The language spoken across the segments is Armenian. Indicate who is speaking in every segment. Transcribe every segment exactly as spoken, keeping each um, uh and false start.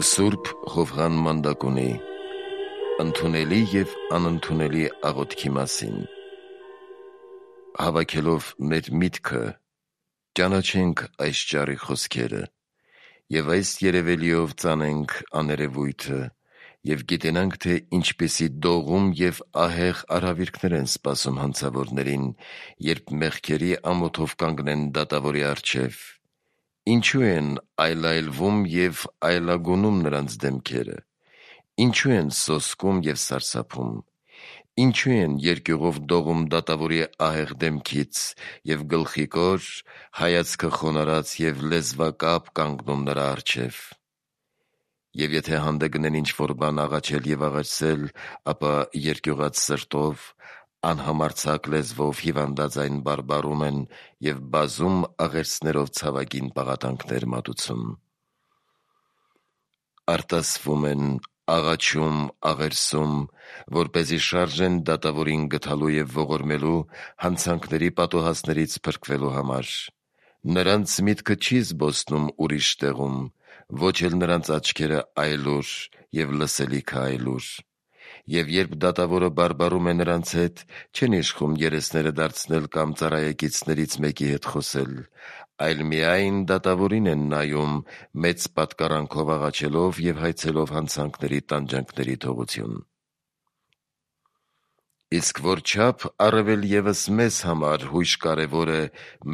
Speaker 1: Սուրբ Ղովղան Մանդակունի ընդունելի և անընդունելի աղոթքի մասին։ Հավաքելով մեր միտքը, ճանաչենք այս ճառի խոսքերը և այս երևելիով ծանենք աներևույթը և գիտենանք, թե ինչպիսի դողում և ահեղ արհավիրքներ են սպասում հանցավորներին, երբ մեղքերի ամոթով կանգնեն դատավորի առջև։ Ինչու են այլայլվում և այլագունում նրանց դեմքերը, ինչու են սոսկում և սարսափում, ինչու են երկյուղով դողում դատավորի ահեղ դեմքից և գլխիկոր, հայացքը խոնարհած և լեզվակապ կանգնում նրա առջև։ Եվ եթե հանդգնեն ինչ-որ բան աղաչել և աղաչել, ապա երկյուղած սրտով, անհամարձակ լեզվով հիվանդաձայն բարբառում են և բազում աղերսներով ցավագին պաղատանքներ մատուցում։ Արտասվում են, աղաչում, աղերսում, որպեսզի շարժեն դատավորին գթալու և ողորմելու հանցանքների պատոհասներից փրկվելու համար։ Նրանց միտքը չի զբոսնում ուրիշ տեղում, ոչ էլ նրանց աչքերը այլուր և լսելիքը այլուր։ Եվ երբ դատավորը բարբառում է նրանց հետ, չեն իշխում երեսները դարձնել կամ ծառայեկիցներից մեկի հետ խոսել, այլ միայն դատավորին են նայում, մեծ պատկառանքով աղաչելով և հայցելով հանցանքների տանջանքների թողություն։ Իսկ որչափ առավել ևս մեզ համար հույժ կարևոր է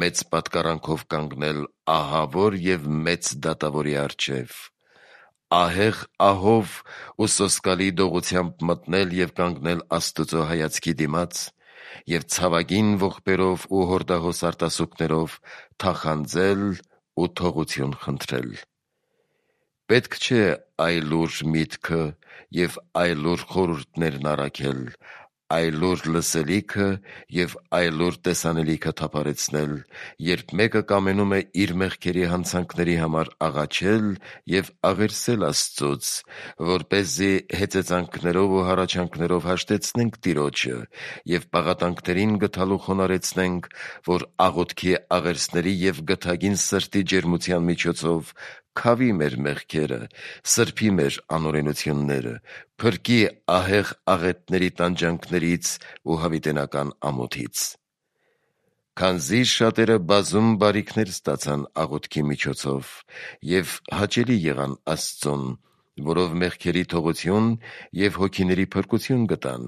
Speaker 1: մեծ պատկառանքով կանգնել ահավոր և մեծ դատավորի առջև, ահեղ ահով ու սոսկալի դողությամբ մտնել և կանգնել Աստծո հայացքի դիմաց և ցավագին ողբերով ու հորդահոս արտասուքներով թախանձել ու թողություն խնդրել։ Պետք չէ այլուր միտքը և այլուր խորհուրդներն առաքել, այլուր լսելիքը և այլուր տեսանելիքը թափառեցնել, երբ մեկը կամենում է իր մեղքերի հանցանքների համար աղաչել և աղերսել Աստծուց, որպեսզի հեծեծանքներով ու հառաչանքներով հաշտեցնենք Տիրոջը և պաղատանքներին գթալու խոնարհեցնենք, որ աղոթքի աղերսների և գթագին սրտի ջերմության միջոցով քավի մեր մեղքերը, սրբի մեր անօրենությունները, փրկի ահեղ աղետների տանջանքներից ու հավիտենական ամոթից։ Քանզի շատերը բազում բարիքներ ստացան աղոթքի միջոցով և հաճելի եղան Աստծուն, որով մեղքերի թողություն և հոգիների փրկություն գտան,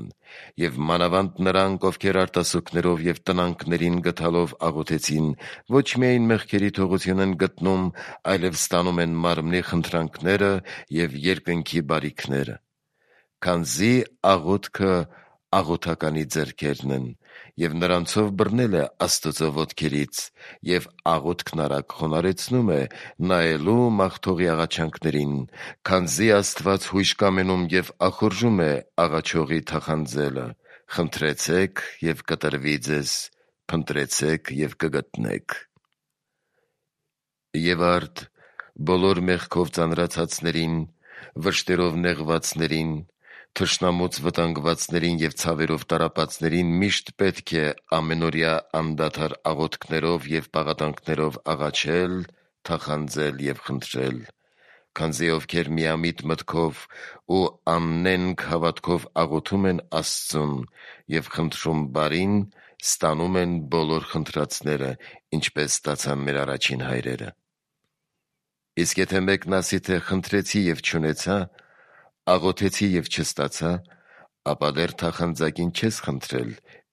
Speaker 1: և մանավանդ նրանք, ովքեր արտասուքներով և տնանքներին գթալով աղոթեցին, ոչ միայն մեղքերի թողություն են գտնում, այլև ստանում են մարմնի խնդրանքները և երկնքի բարիքները։ Քանզի աղոթքը աղոթականի ձեռքերն են, և նրանցով բռնել է Աստծո ոտքերից, և աղոթքն արագ խոնարհեցնում է նայելու մաղթողի աղաչանքներին, քանզի Աստված հույժ կամենում և ախորժում է աղաչողի թախանձելը. «Խնդրեցեք և կտրվի ձեզ, փնտրեցեք և կգտնեք»։ Եվ արդ բոլոր մեղքով ծանրացածներին, վշտերով նեղվածներին, թշնամուց վտանգվածներին և ցավերով տառապածներին միշտ պետք է ամենօրյա անդադար աղոթքներով և պաղատանքներով աղաչել, թախանձել և խնդրել, քանզի ովքեր միամիտ մտքով ու աննենգ հավատքով աղոթում են Աստծուն և խնդրում բարին, ստանում են բոլոր խնդրածները, ինչպես ստացան մեր առաջին հայրերը։ Իսկ եթե մեկն ասի, թե խնդրեցի և չունեցա, աղոթեցի և չստացա, ապա դեռ թախանձակին չես խնդրել,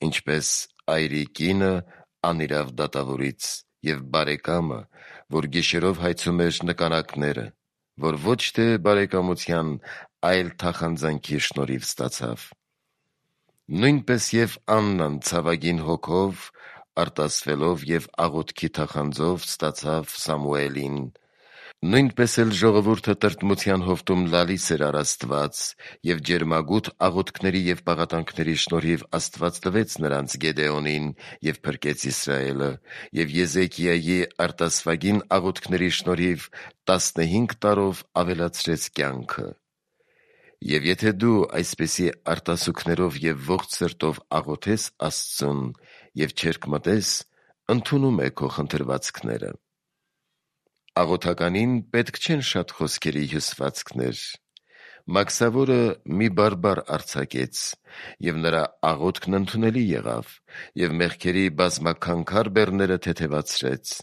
Speaker 1: ինչպես այրի կինը անիրավ դատավորից և բարեկամը, որ գիշերով հայցում էր նկանակները, որ ոչ թե բարեկամության, այլ թախանձանքի շնորհիվ ստացավ։ Նույնպես և Աննան ցավագին հոգով, արտասվելով և աղոթքի թախանձով ստացավ Սամուելին։ Նույնպես էլ ժողովուրդը տրտմության հովտում լալիս էր առ Աստված, և ջերմագութ աղոթքների և պաղատանքների շնորհիվ Աստված տվեց նրանց Գեդեոնին և փրկեց Իսրայելը, և Եզեկիայի արտասվագին աղոթքների շնորհիվ տասնհինգ տարով ավելացրեց կյանքը։ Եվ եթե դու այսպիսի արտասուքներով և ողջ սրտով աղոթես Աստծուն և չերկմտես, ընդունում է քո խնդրվածքները։ Աղոթականին պետք չեն շատ խոսքերի հյուսվածքներ։ Մաքսավորը մի բարբար արձակեց, և նրա աղոթքն ընդունելի եղավ, և մեղքերի բազմաքանքար բեռները թեթևացրեց։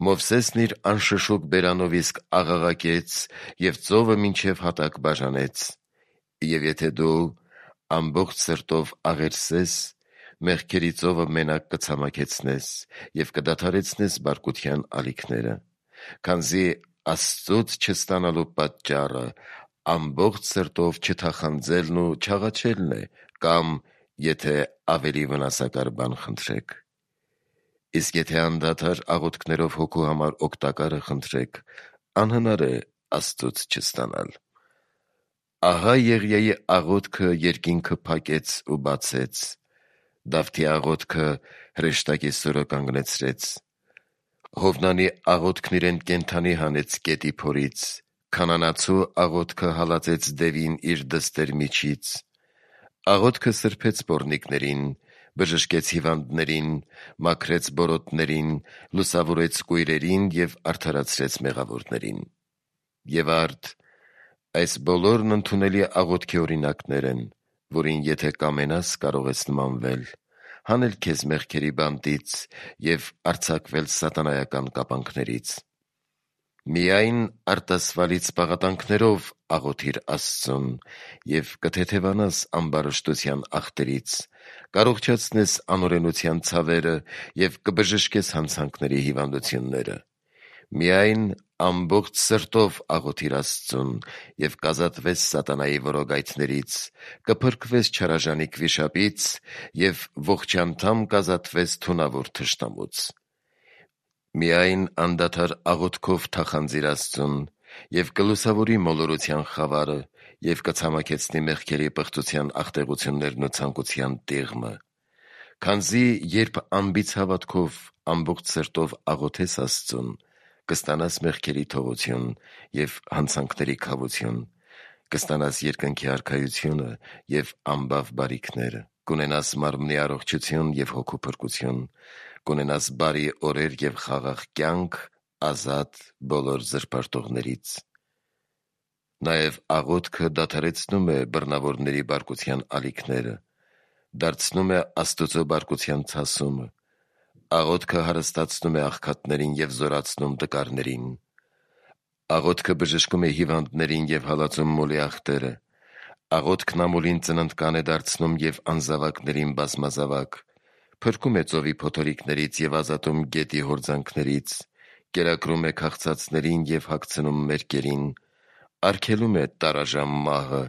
Speaker 1: Մովսեսն իր անշշուկ բերանով իսկ աղաղակեց և ծովը մինչև հատակ բաժանեց։ Եվ եթե դու ամբողջ սրտով աղերսես, մեղքերի ծովը մենակ կցամաքեցնես և կդադարեցնես բարկության ալիքները, քանզի Աստծուց չստանալու պատճառը ամբողջ սրտով չթախանձելն ու չաղաչելն է, կամ եթե ավելի վնասակար բան խնդրեք։ Իսկ եթե անդադար աղոթքներով հոգու համար օգտակարը խնդրեք, անհնար է Աստծուց չստանալ։ Ահա Եղիայի աղոթքը երկինքը փակեց ու բացեց, Դավթի աղոթքը հրեշտակի սուրը կանգնեցրեց, Հովնանի աղոթքն իրեն կենդանի հանեց գետի փորից, քանանացու աղոթքը հալածեց դևին իր դստեր միջից, աղոթքը սրբեց պոռնիկներին, բժշկեց հիվանդներին, մաքրեց բորոտներին, լուսավորեց կույրերին և արդարացրեց մեղավորներին։ Եվ արդ, այս բոլորն ընդունելի աղոթքի օրինակներ են, որին եթե կամենաս, կարող ես նմանվել, հանել քեզ մեղքերի բանտից և արձակվել սատանայական կապանքներից։ Միայն արտասվալից պաղատանքներով աղոթիր Աստծուն և կթեթևանաս ամբարշտության աղտերից, կառողջացնես անօրենության ցավերը և կբժշկես հանցանքների հիվանդությունները։ Միայն ամբողջ սրտով աղոթիր Աստծուն և կազատվես սատանայի որոգայթներից, կփրկվես չարաժանիկ վիշապից և ողջանդամ կազատվես թունավոր թշնամուց։ Միայն անդադար աղոթքով թախանձիր Աստծուն և կլուսավորի մոլորության խավարը և կցամաքեցնի մեղքերի պղծության աղտեղություններն ու ցանկության տիղմը, քանզի երբ անբիծ հավատքով ամբողջ սրտով աղոթես Աստծուն, կստանաս մեղքերի թողություն և հանցանքների քավություն, կստանաս երկնքի արքայությունը և ամբավ բարիքները, կունենաս մարմնի առողջություն և հոգու փրկություն, կունենաս բարի օրեր և խաղաղ կյանք ազատ բոլոր զրպարտողներից։ Նաև աղոթքը դադարեցնում է բռնավորների բարկության ալիքները, դարձնում է Աստուծո բարկության ցասումը, աղոթքը հարստացնում է աղքատներին և զորացնում տկարներին, աղոթքը բժշկում է հիվանդներին և հալածում մոլի աղտերը, աղոթքն ամուլին ծննդկան է դարձնում և անզավակներին բազմազավակ, փրկում է ծովի փոթորիկներից և ազատում գետի հորձանքներից, կերակրում է քաղցածներին և հագցնում մերկերին, արգելում է տարաժամ մահը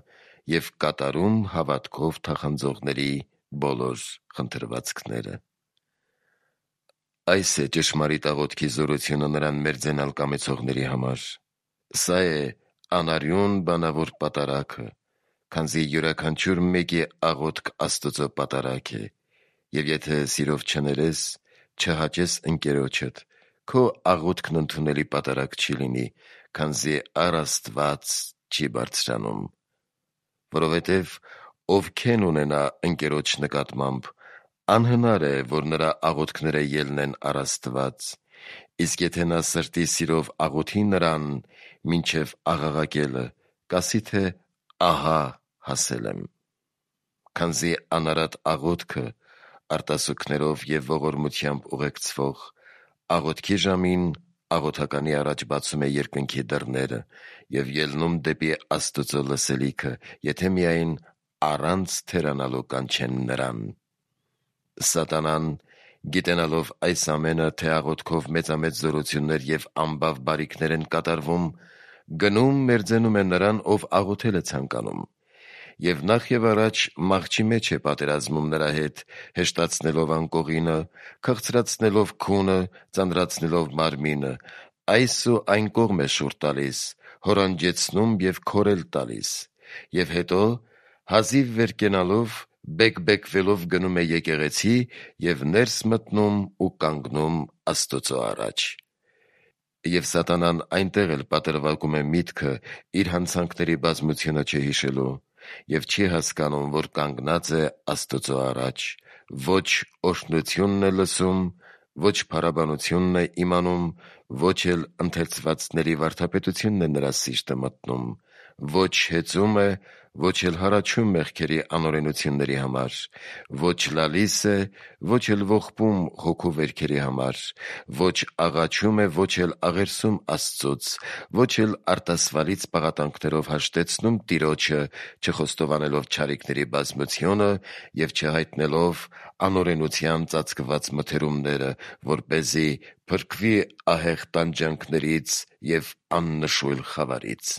Speaker 1: և կատարում հավատքով թախանձողների բոլոր խնդրվածքները։ Այս է ճշմարիտ աղոթքի զորությունը նրան մերձենալ կամեցողների համար։ Սա է անարյուն բանավոր պատարագը, քանզի յուրաքանչյուր մեկի աղոթք Աստծո պատարագ է, և եթե սիրով չներես, չհաճես ընկերոջդ, քո աղոթքն ընդունելի պատարագ չի լինի, քանզի առ Աստված չի բարձրանում։ Որովհետև ով քեն ունենա ընկերոջ նկատմամբ, անհնար է, որ նրա աղոթքները ելնեն առ Աստված, իսկ եթե նա սրտի սիրով աղոթի նրան մինչև աղաղակելը, կասի թե «ահա հասել եմ»։ Քանզի անարատ աղոթքը արտասուքներով և ողորմությամբ ուղեկցվող աղոթքի ժամին աղոթականի առաջ բացում է երկնքի դռները և ելնում դեպի Աստուծո լսելիքը, եթե միայն առանց թերանալու կանչեն նրան։ Սատանան, գիտենալով այս ամենը, թե աղոթքով մեծամեծ զորություններ և ամբավ բարիքներ են կատարվում, գնում մերձենում է նրան, ով աղոթել է ցանկանում, և նախ և առաջ մահճի մեջ է պատերազմում նրա հետ, հեշտացնելով անկողինը, քաղցրացնելով քունը, ծանրացնելով մարմինը, այս ու այն կողմ է շուռ տալիս, հորանջեցնում և քորել տալիս, և հետո հազիվ վեր կենալով, բեկ-բեկվելով գնում է եկեղեցի և ներս մտնում ու կանգնում Աստուծո առաջ։ Եվ սատանան այնտեղ էլ պատրվակում է միտքը իր հանցանքների բազմությունը չհիշելու և չի հասկանում, որ կանգնած է Աստուծո առաջ, ոչ օրհնությունն է լսում, ոչ փառաբանությունն է իմանում, ոչ էլ ընթերցվածների վարդապետությունն է նրա սիրտը մտնում, ոչ հեծում է, ոչ էլ հառաչում մեղքերի անօրենությունների համար, ոչ լալիս է, ոչ էլ ողբում հոգու վերքերի համար, ոչ աղաչում է, ոչ էլ աղերսում Աստծուց, ոչ էլ արտասվալից պաղատանքներով հաշտեցնում Տիրոջը, չխոստովանելով չարիքների բազմությունը և չհայտնելով անօրենության ծածկված մթերումները, որպեսզի փրկվի ահեղ տանջանքներից և աննշույլ խավարից։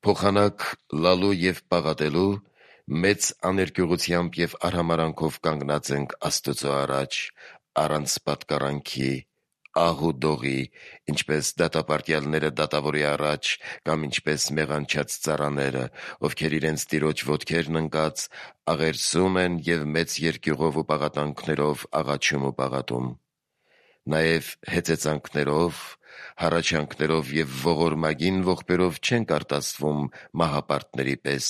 Speaker 1: Փոխանակ լալու և պաղատելու մեծ աներկյուղությամբ և արհամարանքով կանգնած ենք Աստծո առաջ, առանց պատկառանքի, ահ ու դողի, ինչպես դատապարտյալները դատավորի առաջ, կամ ինչպես մեղանչած ծառաները, ովքեր իրենց տիրոջ ոտքերն ընկած աղերսում են և մեծ երկյուղով ու պաղատանքներով աղաչում ու պաղատում։ Նաև հեծեծանքներով, հառաչանքներով և ողորմագին ողբերով չենք արտասվում մահապարտների պես,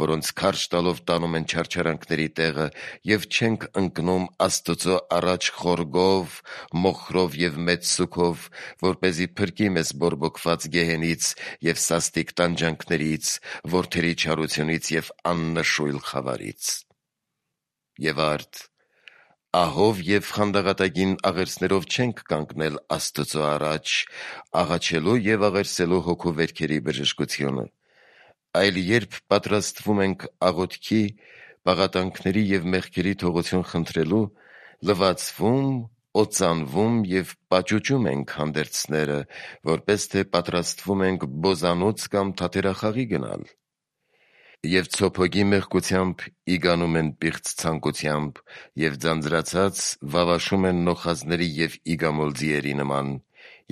Speaker 1: որոնց քարշ տալով տանում են չարչարանքների տեղը, և չենք ընկնում Աստծո առաջ խորգով, մոխրով և մեծ սուգով, որպեսզի փրկի մեզ բորբոքված գեհենից և սաստիկ տանջանքներից, որդերի չարությունից և աննշույլ խավարից։ Եվ արդ, ահով և խանդաղատագին աղերսներով չենք կանգնել Աստծո առաջ, աղաչելու և աղերսելու հոգու վերքերի բժշկությունը, այլ երբ պատրաստվում ենք աղոթքի, պաղատանքների և մեղքերի թողություն խնդրելու, լվացվում, օծանվում և պաճուճում ենք հանդերձները, որպես թե պատրաստվում ենք բոզանոց կամ թատերախաղի գնալ։ Եվ ցոփոգի մեղքությամբ իգանում են պիղծ ցանկությամբ, և ձանձրացած վավաշում են նոխազների և իգամոլ ձիերի նման,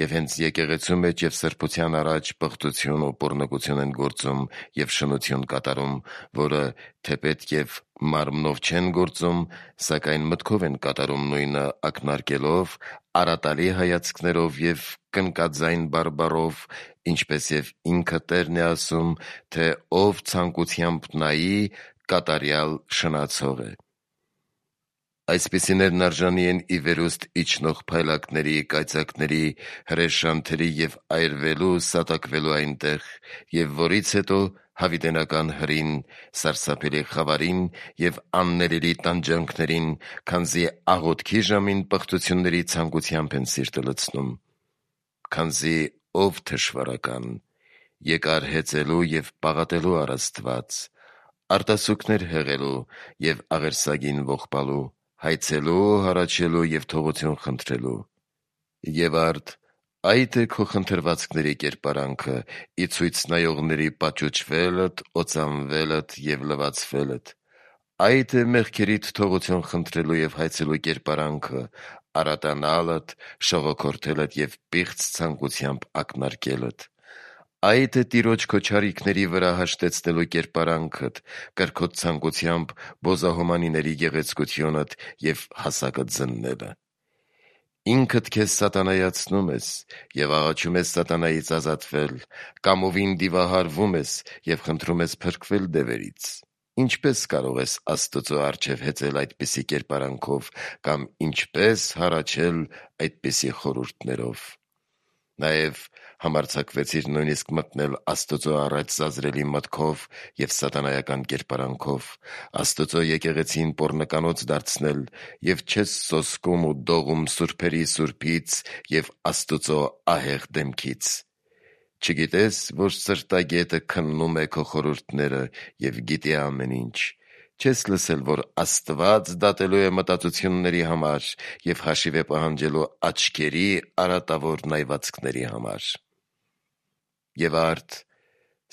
Speaker 1: և հենց եկեղեցու մեջ և սրբության առաջ պղտություն ու պոռնկություն են գործում և շնություն կատարում, որը թեպետ և մարմնով չեն գործում, սակայն մտքով են կատարում նույնը ակնարկելով, արատալի հայացքներով և կնկաձայն բարբառով, ինչպես և ինքը Տերն է ասում, թե ով ցանկությամբ նայի, կատարյալ շնացող է։ Այսպիսիներն արժանի են ի վերուստ իջնող փայլակների, կայծակների, հրեշանթերի և այրվելու, սատակվելու այնտեղ, և որից հետո հավիտենական հրին, սարսափելի խավարին և աններելի տանջանքներին, քանզի աղոթքի ժամին պղտությունների ցանկությամբ են սիրտը լցնում։ Քանզի ով թշվառական, եկար հեծելու և պաղատելու առ Աստված, արտասուքներ հեղելու և աղերսագին ողբալու, հայցելու, հառաչելու և թողություն խնդրելու։ Եվ արդ, այդ է քո խնդրվածքների կերպարանքը՝ ի ցույց նայողների պաճուճվելդ, օծանվելդ և լվացվելդ։ Այդ է մեղքերիդ թողություն խնդրելու և հայցելու կերպարանքը՝ արատանալդ, շողոքորթելդ և պիղծ ցանկությամբ ակնարկելդ։ Այդ է Տիրոջ քո չարիքների վրա հաշտեցնելու կերպարանքդ՝ կրքոտ ցանկությամբ բոզահոմանիների գեղեցկությունդ և հասակդ զննելը։ Ինքդ քեզ սատանայացնում ես և աղաչում ես սատանայից ազատվել, կամովին դիվահարվում ես և խնդրում ես փրկվել դևերից։ Ինչպե՞ս կարող ես Աստծո առջև հեծել այդպիսի կերպարանքով կամ ինչպե՞ս հառաչել այդպիսի խորհուրդներով։ Նաև համարձակվեցիր նույնիսկ մտնել Աստծո առաջ զազրելի մտքով և սատանայական կերպարանքով, Աստծո եկեղեցին պոռնկանոց դարձնել և չես սոսկում ու դողում սուրբերի Սուրբից և Աստծո ահեղ դեմքից։ Չգիտե՞ս, որ սրտագետը քննում է քո խորհուրդները և գիտի ամեն ինչ։ Չես լսել, որ Աստված դատելու է մտածությունների համար և հաշիվ է պահանջելու աչքերի արատավոր նայվածքների համար։ Եվ արդ,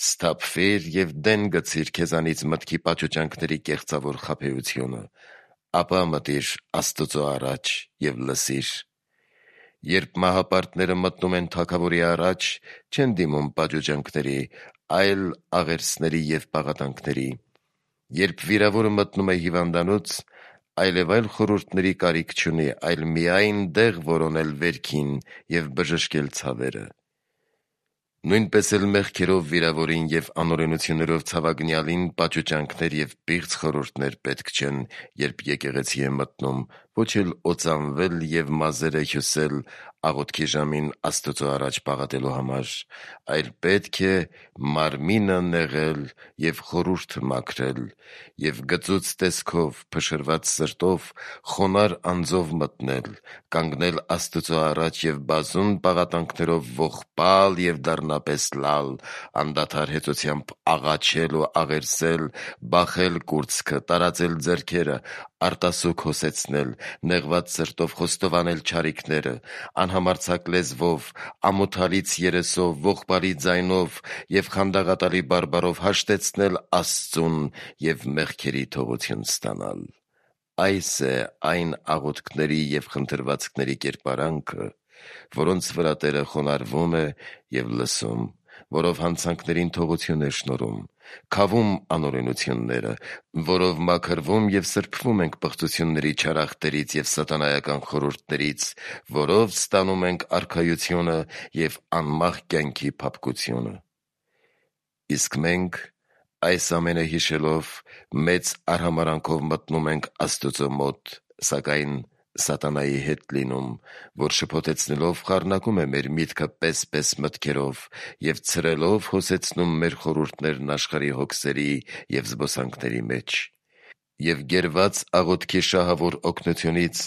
Speaker 1: սթափվիր և դեն գցիր քեզանից մտքի պաճուճանքների կեղծավոր խաբեությունը, ապա մտիր Աստծո առաջ և լսիր։ Երբ մահապարտները մտնում են Թագավորի առաջ, չեն դիմում պաճուճանքների, այլ աղերսների և պաղատանքների։ Երբ վիրավորը մտնում է հիվանդանոց, այլևայլ խորհուրդների կարիք չունի, այլ միայն դեղ որոնել վերքին և բժշկել ցավերը։ Նույնպես էլ մեղքերով վիրավորին և անօրենություններով ցավագնյալին պաճուճանքներ և պիղծ խորհուրդներ պետք չեն, երբ եկեղեցի է մտնում, ոչ էլ օծանվել և մազերը հյուսել աղոթքի ժամին Աստծո առաջ պաղատելու համար, այլ պետք է մարմինը նեղել և խորհուրդը մաքրել և գծուծ տեսքով, փշրված սրտով, խոնարհ անձով մտնել, կանգնել Աստծո առաջ և բազում պաղատանքներով ողբալ և դառնապես լալ, անդադար հեծությամբ աղաչել ու աղերսել, բախել կուրծքը, տարածել ձեռքերը, արտասուք հոսեցնել, նեղված սրտով խոստովանել չարիքները, անհամարձակ լեզվով, ամոթալից երեսով, ողբալի ձայնով և խանդաղատալի բարբառով հաշտեցնել Աստծուն և մեղքերի թողություն ստանալ։ Այս է այն աղոթքների և խնդրվածքների կերպարանքը, որոնց վրա Տերը խոնարհվում է և լսում, որով հանցանքներին թողություն է շնորհում, քավում անօրենությունները, որով մաքրվում և սրբվում ենք պղծությունների չարախտերից և սատանայական խորհուրդներից, որով ստանում ենք արքայությունը և անմահ կյանքի փափկությունը։ Իսկ մենք, այս ամենը հիշելով, մեծ արհամարհանքով մտնում ենք Աստծո մոտ, սակայն սատանայի հետ լինում, որ շփոթեցնելով խառնակում է մեր միտքը պես-պես մտքերով և ցրելով հոսեցնում մեր խորհուրդներն աշխարհի հոգսերի և զբոսանքների մեջ։ Եվ գերված աղոթքի շահավոր օգնությունից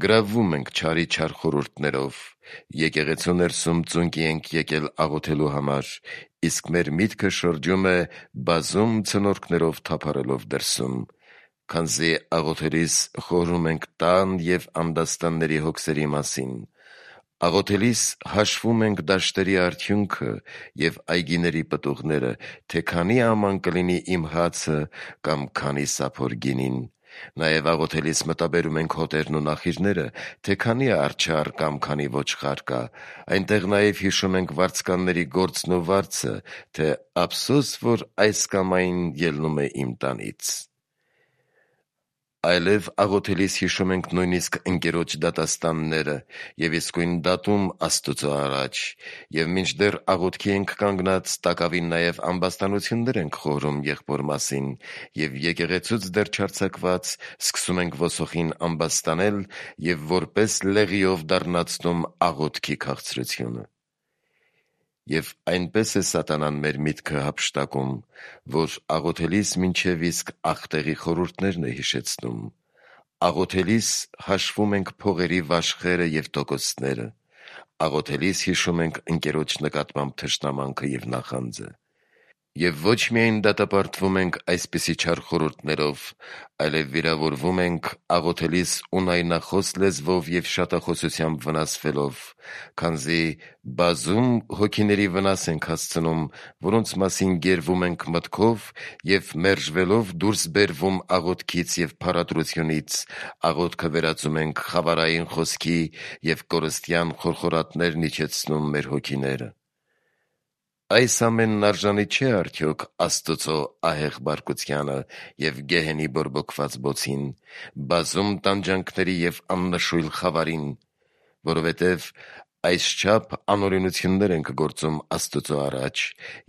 Speaker 1: գրավվում ենք չարի չար խորհուրդներով, եկեղեցու ներսում ծունկի ենք եկել աղոթելու համար, իսկ մեր միտքը շրջում է բազում ցնորքներով թափառելով դրսում, քանզի աղոթելիս խորհում ենք տան և անդաստանների հոգսերի մասին, աղոթելիս հաշվում ենք դաշտերի արդյունքը և այգիների պտուղները, թե քանի աման կլինի իմ հացը կամ քանի սափոր գինին, նաև աղոթելիս մտաբերում ենք հոտերն ու նախիրները, թե քանի արջառ կամ քանի ոչխար կա, այնտեղ նաև հիշում ենք վարձկանների գործն ու վարձը, թե ափսոս, որ այս կամ այն ելնում է իմ տանից։ Այլև աղոթելիս հիշում ենք նույնիսկ ընկերոջ դատաստանները և իսկույն դատում Աստծո առաջ, և մինչդեռ աղոթքի ենք կանգնած, տակավին նաև ամբաստանություններ ենք խորհում եղբոր մասին և եկեղեցուց դեռ չարձակված սկսում ենք ոսոխին ամբաստանել և որպես լեղիով դառնացնում աղոթքի քաղցրությունը։ Եվ այնպես է սատանան մեր միտքը հափշտակում, որ աղոթելիս մինչև իսկ ախտեղի խորհուրդներն է հիշեցնում։ Աղոթելիս հաշվում ենք փողերի վաշխերը և տոկոսները, աղոթելիս հիշում ենք ընկերոջ նկատմամբ թշնամանքը և նախանձը։ Եվ ոչ միայն դատապարտվում ենք այսպիսի չար խորհուրդներով, այլև վիրավորվում ենք աղոթելիս ունայնախոս լեզվով և շատախոսությամբ վնասվելով, քանզի բազում հոգիների վնաս ենք հասցնում, որոնց մասին գերվում ենք մտքով և մերժվելով դուրս բերվում աղոթքից և փառատրությունից, աղոթքը վերածում ենք խավարային խոսքի և կորստյան խորխորատներն իջեցնում մեր հոգիները։ Այս ամենն արժանի չէ՞ արդյոք Աստծո ահեղ բարկությանը և գեհենի բորբոքված բոցին, բազում տանջանքների և աննշույլ խավարին, որովհետև այսչափ անօրենություններ ենք գործում Աստծո առաջ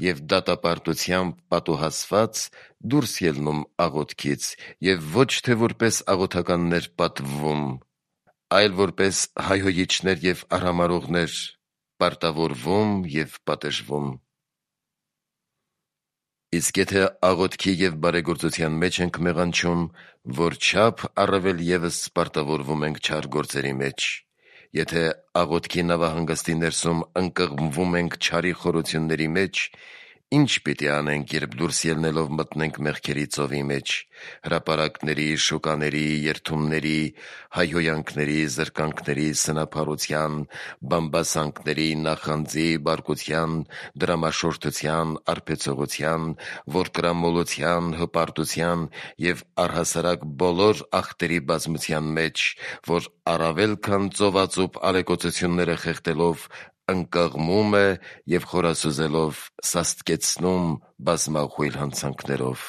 Speaker 1: և դատապարտությամբ պատուհասված դուրս ելնում աղոթքից և ոչ թե որպես աղոթականներ պատվվում, այլ որպես հայհոյիչներ և արհամարհողներ պարտավորվում և պատժվում։ Իսկ եթե աղոթքի և բարեգործության մեջ ենք մեղանչում, որչափ առավել ևս պարտավորվում ենք չար գործերի մեջ։ Եթե աղոթքի նավահանգստի ներսում ընկղմվում ենք չարի խորությունների մեջ, ի՞նչ պիտի անենք, երբ դուրս ելնելով մտնենք մեղքերի ծովի մեջ, հրապարակների, շուկաների, երդումների, հայհոյանքների, զրկանքների, սնափառության, բամբասանքների, նախանձի, բարկության, դրամաշորթության, արբեցողության, որդկրամոլության, հպարտության և առհասարակ բոլոր ախտերի բազմության մեջ, որ առավել քան ծովածուփ ալեկոծությունները խեղդելով ընկղմում է և խորասուզելով սաստկեցնում բազմախույլ հանցանքներով։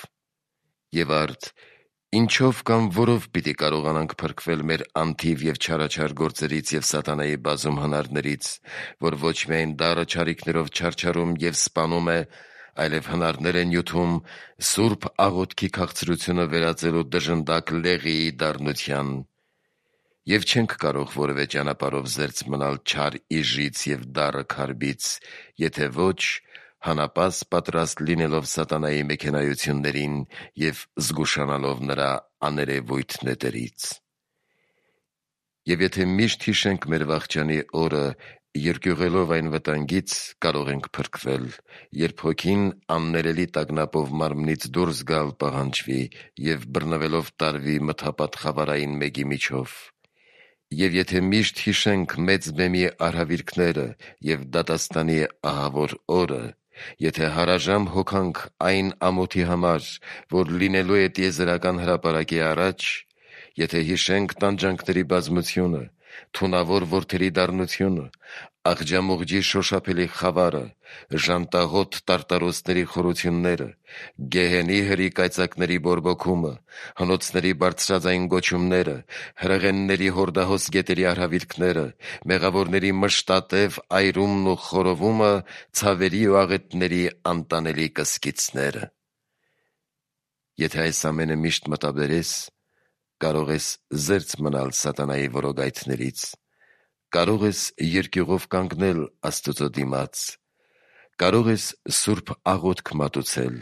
Speaker 1: Եվ արդ ինչո՞վ կամ որով պիտի կարողանանք փրկվել մեր անթիվ և չարաչար գործերից և սատանայի բազում հնարներից, որ ոչ միայն դառը չարիքներով չարչարում և սպանում է, այլև հնարներ է նյութում սուրբ աղոթքի քաղցրությունը վերածելու դժնդակ լեղիի դառնության։ Եվ չենք կարող որևէ ճանապարհով զերծ մնալ չար իժից եւ դառը քարբից, եթե ոչ հանապաս պատրաստ լինելով սատանայի մեքենայություններին եւ զգուշանալով նրա աներևույթ նետերից։ Եվ եթե միշտ հիշենք մեր վախճանի օրը, երկյուղելով այն վտանգից, կարող ենք փրկվել, երբ հոգին աններելի տագնապով մարմնից դուրս գալ պահանջվի եւ բռնվելով տարվի մթապատ խավարային մեգի միջով։ Եվ եթե միշտ հիշենք մեծ բեմի արհավիրքները եւ դատաստանի ահավոր օրը, եթե հարաժամ հոգանք այն ամոթի համար, որ լինելու է տիեզերական հրապարակի առաջ, եթե հիշենք տանջանքների բազմությունը, թունավոր որդերի դառնությունը, աղջամուղջի շոշափելի խավարը, ժանտաղոտ տարտարոսների խորությունները, գեհենի հրի կայծակների բորբոքումը, հնոցների բարձրաձայն գոչումները, հրեղենների հորդահոս գետերի արհավիրքները, մեղավորների մշտատև այրումն ու խորովումը, ցավերի ու աղետների անտանելի կսկիցները։ Եթե այս ամենը միշտ մտաբերես, կարող ես զերծ մնալ սատանայի որոգայթներից, կարող ես երկյուղով կանգնել Աստծո դիմաց, կարող ես սուրբ աղոթք մատուցել,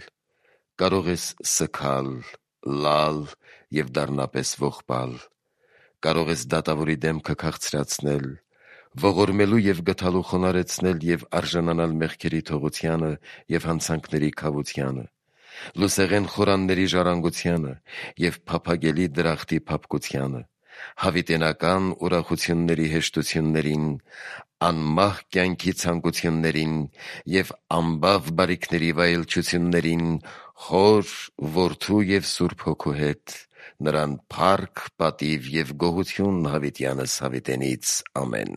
Speaker 1: կարող ես սգալ, լալ եւ դառնապես ողբալ, կարող ես դատավորի դեմքը քաղցրացնել, ողորմելու եւ գթալու խոնարհեցնել եւ արժանանալ մեղքերի թողությանը եւ հանցանքների քավությանը, լուսեղեն խորանների ժառանգությանը եւ փափագելի դրախտի փափկությանը, հավիտենական ուրախությունների հեշտություններին, անմահ կյանքի ցանկություններին եւ անբավ բարիքների վայելչություններին Հոր, Որդու եւ Սուրբ Հոգու հետ, նրան փառք, պատիվ եւ գոհություն հավիտյանս հավիտենից։ Ամեն։